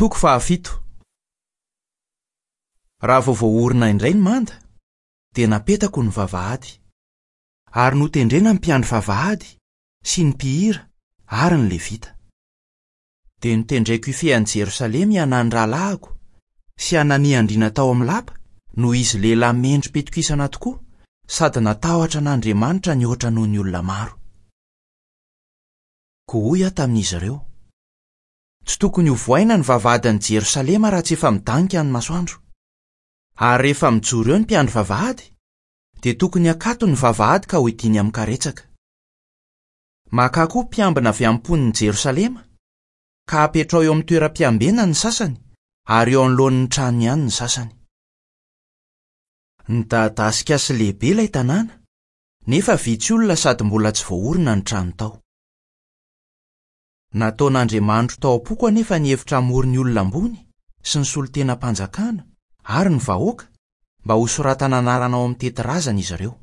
Toko fahafito. Raha vao voaorina indray ny manda, dia napetako ny vavahady. Ary notendrena ny mpiandry vavahady, sy ny mpihira, ary ny Levita. Dia notendreko hifehy an'i Jerosalema i Hanany rahalahiko, sy Hanania andriana tao amin'ny lapa, noho izy lehilahy mendri-pitokisana tokoa, sady natahotra an'Andriamanitra nihoatra noho ny olona maro. Koa hoy aho tamin'izy ireo, Tsy tokony hovohaina ny vavahadin'i Jerosalema raha tsy efa midanika ny masoandro. Ary rehefa mijoro eo ny mpiandry vavahady, dia tokony hakatony ny vavahady ka hohidiany amin'ny karetsaka. Makà koa mpiambina avy amin'ny mponin'i Jerosalema, ka apetraho eo amin'ny toeram-piambenany ny sasany, ary eo anoloan'ny tranony ihany ny sasany. Nidadasika sy lehibe ilay tanàna, nefa vitsy olona sady mbola tsy voaorina ny trano tao. Nataon'Andriamanitro tao am-poko anefa ny hevitra hamory ny olona ambony sy ny solontenam-panjakana ary ny vahoaka mba hosoratana anarana ao amin'ny tetirazana izy ireo.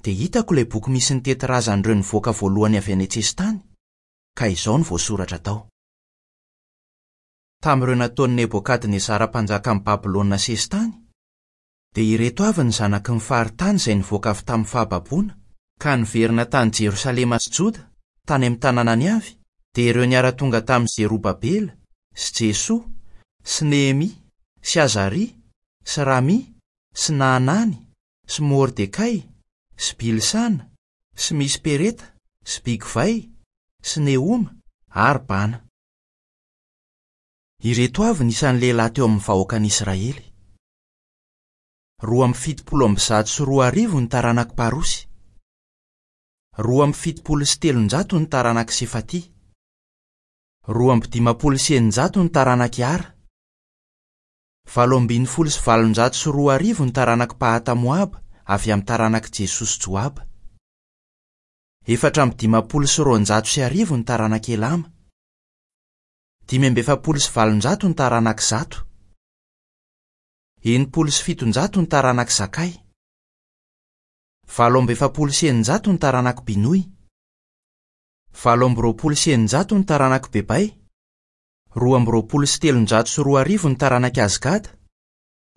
Dia hitako ilay boky misy ny tetirazan'ireo nivoaka voalohany avy any an-tsesitany, ka izao no voasoratra tao. Tamin'ireo nataon'i Nebokadnezara mpanjakan'i Babylona sesitany, dia ireto avy ny zanaky ny faritany izay nivoaka avy tamin'ny fahababoana, ka niverina tany Jerosalema sy Joda, tany amin'ny tanànany avy, dia ireo niara-tonga tamin'i Zerobabela, sy Jesoa, sy Nehemia, sy Azaria, sy Ramia, sy Nahanany, sy Mordekay, sy Bilsana, sy Mispereta, sy Bigvay, sy Nehoma, ary Bana. Ireto avy ny isan'ny lehilahy teo amin'ny vahoakan'Israely. 272 ny taranak'i Parosy. 372 ny taranak'i Sefatia. 652 ny taranak'i Ara. 2018 ny taranak'i Pahata-Moaba avy amin'ny taranak'i Jesoa sy Joaba. 1254 ny taranak'i Elama. 845 ny taranak'i Zato. 760 ny taranak'i Zakay. 648 ny taranak'i Binoy. 628 ny taranak'i Bebay. 2022 ny taranak'i Azgada,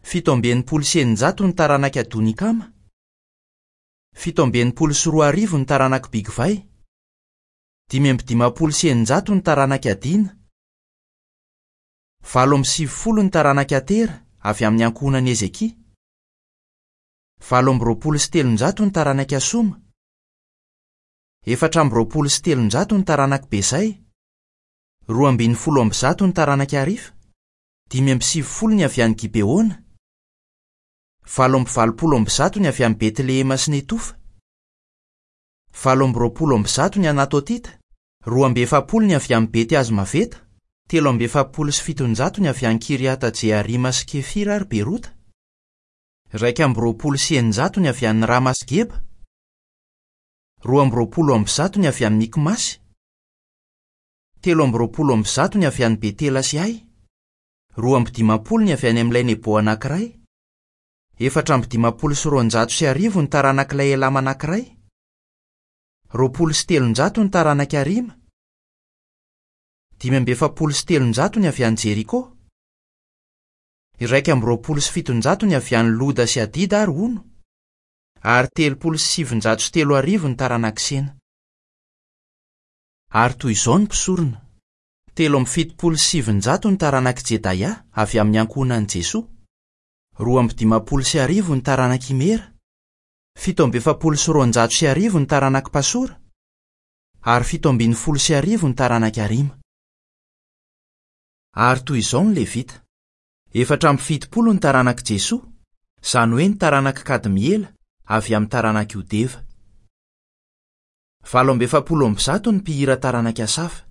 667 ny taranak'i Adonikama, 2067 ny taranak'i Bigvay, 655 ny taranak'i Adina, 98 ny taranak'i Atera avy amin'ny ankohonan'i Hezekia, 328 ny taranak'i Asoma, 324 ny taranak'i Bezay, 112 ny taranak'i Harifa, 95 ny avy any Gibeona, 188 ny avy any Betlehema sy Netofa, 128 ny Anatotita, 42 ny avy any Bety-Azmaveta, 743 ny avy any Kiriata-Jearima sy Kefira ary Berota, 621 ny avy any Rama sy Geba, 122 ny avy any Mikmasy, 123 ny avy any Betela sy Ay, 52 ny avy any amin'ilay Nebo anankiray, 1254 ny taranak'ilay Elama anankiray, 320 ny taranak'i Harima, 345 ny avy any Jeriko, 721 ny avy any Loda sy Hadida ary Ono, ary 330 ny taranak'i Sena. Ary toy izao ny mpisorona, 973 ny taranak'i Jedaia avy amin'ny ankohonan'i Jesoa, 1052 ny taranak'i Imera, 1247 ny taranak'i Pasora, ary 1017 ny taranak'i Harima. Ary toy izao ny Levita, 74 ny taranak'i Jesoa, izany hoe ny taranak'i Kadmiela avy amin'ny taranak'i Hodeva. 148 ny mpihira taranak'i Asafa.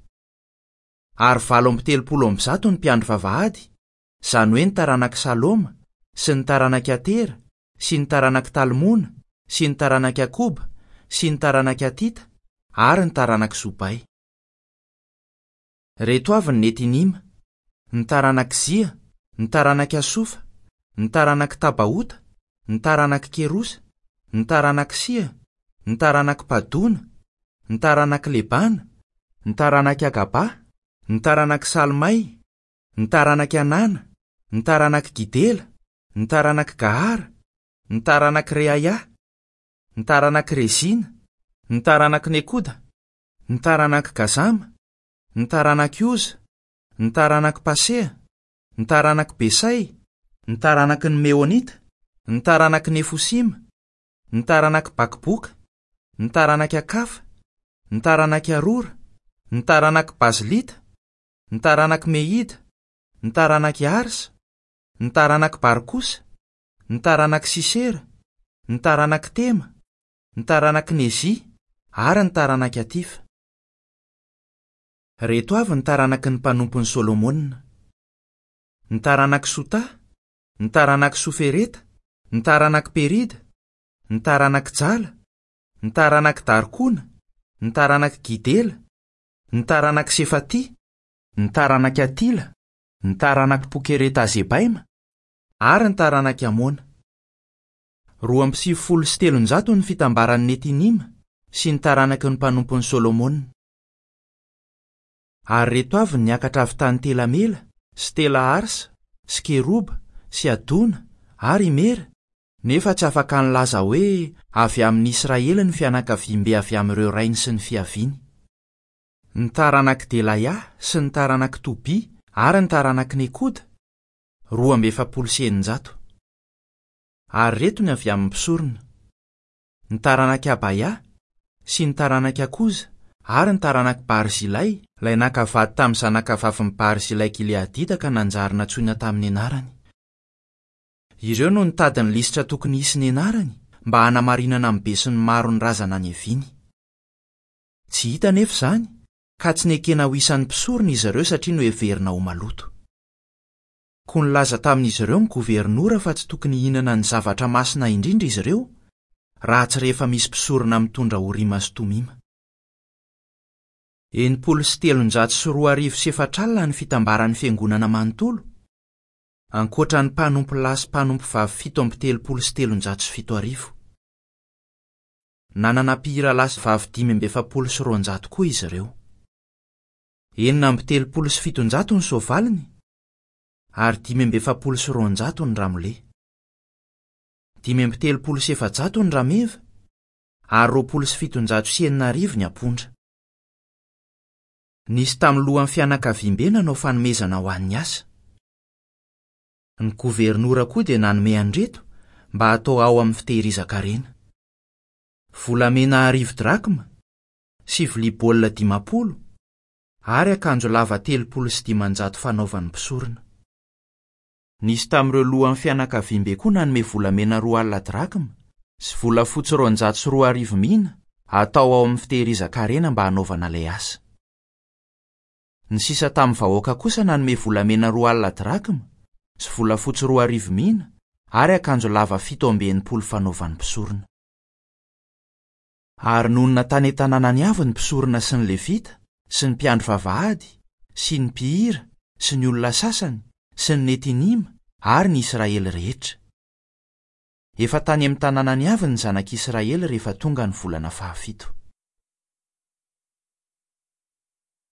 Ary 138 ny mpiandry vavahady, izany hoe ny taranak'i Saloma, sy ny taranak'i Atera, sy ny taranak'i Talmona, sy ny taranak'i Akoba, sy ny taranak'i Hatita, ary ny taranak'i Zobay. Ireto avy ny Netinima, ny taranak'i Zia, ny taranak'i Asofa, ny taranak'i Tabaota, ny taranak'i Kerosa, ny taranak'i Sia, ny taranak'i Padona, ny taranak'i Lebana, ny taranak'i Agaba, Ny taranak'i Salmay, ny taranak'i Hanana, ny taranak'i Gidela, ny taranak'i Gahara, ny taranak'i Reaia, ny taranak'i Rezina, ny taranak'i Nekoda, ny taranak'i Gazama, ny taranak'i Oza, ny taranak'i Pasea, ny taranak'i Besay, ny taranaky ny Meonita, ny taranaky Nefosima, ny taranak'i Bakboka, ny taranak'i Akafa, ny taranak'i Arora, ny taranak'i Bazlita, ny taranak'i Mehida, ny taranak'i Arsa, ny taranak'i Barkosa, ny taranak'i Sisera, ny taranak'i Tema, ny taranak'i Nezia ary ny taranak'i Atifa. Ireto avy ny taranaky ny mpanompon'i Solomona. Ny taranak'i Sotà, ny taranak'i Sofereta, ny taranak'i Perida, ny taranak'i Jala, ny taranak'i Darkona, ny taranak'i Gidela, ny taranak'i Sefatia, ny taranak'i Atila, ny taranak'i Pokereta-Zebaima, ary ny taranak'i Amona. 392 ny fitambaran'ny Netinima sy ny taranaky ny mpanompon'i Solomona. Ary ireto avy ny niakatra avy tany Tela-Mela, sy Tela-Harsa, sy Keroba, sy Adona, ary Imera, nefa tsy afaka nilaza hoe avy amin'i Israely ny fianakaviambe avy amin'ireo rainy sy ny fiaviany. Ny taranak'i Delaia sy ny taranak'i Tobia ary ny taranak'i Nekoda, 642. Ary ireto ny avy amin'ny mpisorona. Ny taranak'i Abaia, sy ny taranak'i Akoza, ary ny taranak'i Barzilay, ilay naka vady tamin'ny zanakavavin'i Barzilay Gileadita ka nanjary nantsoina tamin'ny anarany. Ireo no nitady ny lisitra tokony hisy ny anarany mba hanamarinana amin'ny besinimaro ny razana niaviany. Tsy hita anefa izany, ka tsy nekena ho isan'ny mpisorona izy ireo satria noheverina ho maloto. Koa nilaza tamin'izy ireo ny governora fa tsy tokony hihinana ny zavatra masina indrindra izy ireo, raha tsy rehefa misy mpisorona mitondra Orima sy Tomima. 2460 ny fitambaran'ny fiangonana manontolo, ankoatra ny mpanompo lahy sy mpanompo vavy 337. Nanana mpihira lahy sy vavy 245 koa izy ireo. 736 ny soavaliny, ary 245 ny ramole. 435 ny rameva, ary 620 ny ampondra. Nisy tamin'ny lohan'ny fianakaviambe nanao fanomezana ho an'ny asa. Ny governora koa dia nanome an'ireto mba hatao ao amin'ny fitehirizan-karena. Volamena 1000 drakma, sy vilia baolina 50, ary akanjo lava 530 fanaovan'ny mpisorona. Nisy tamin'ireo lohan'ny fianakaviambe koa nanome volamena 20 drakma sy volafotsy 20 200 mina hatao ao amin'ny fitehirizan-karena mba hanaovana ilay asa. Ny sisa tamin'ny vahoaka kosa nanome volamena 20 drakma sy volafotsy 2000 mina ary akanjo lava 67 fanaovan'ny mpisorona. Ary nonina tany an-tanànany avy ny mpisorona sy ny Levita, sy ny mpiandry vavahady, sy ny mpihira, sy ny olona sasany, sy ny Netinima, ary ny Israely rehetra. Efa tany amin'ny tanànany avy ny zanak'Israely rehefa tonga ny volana fahafito.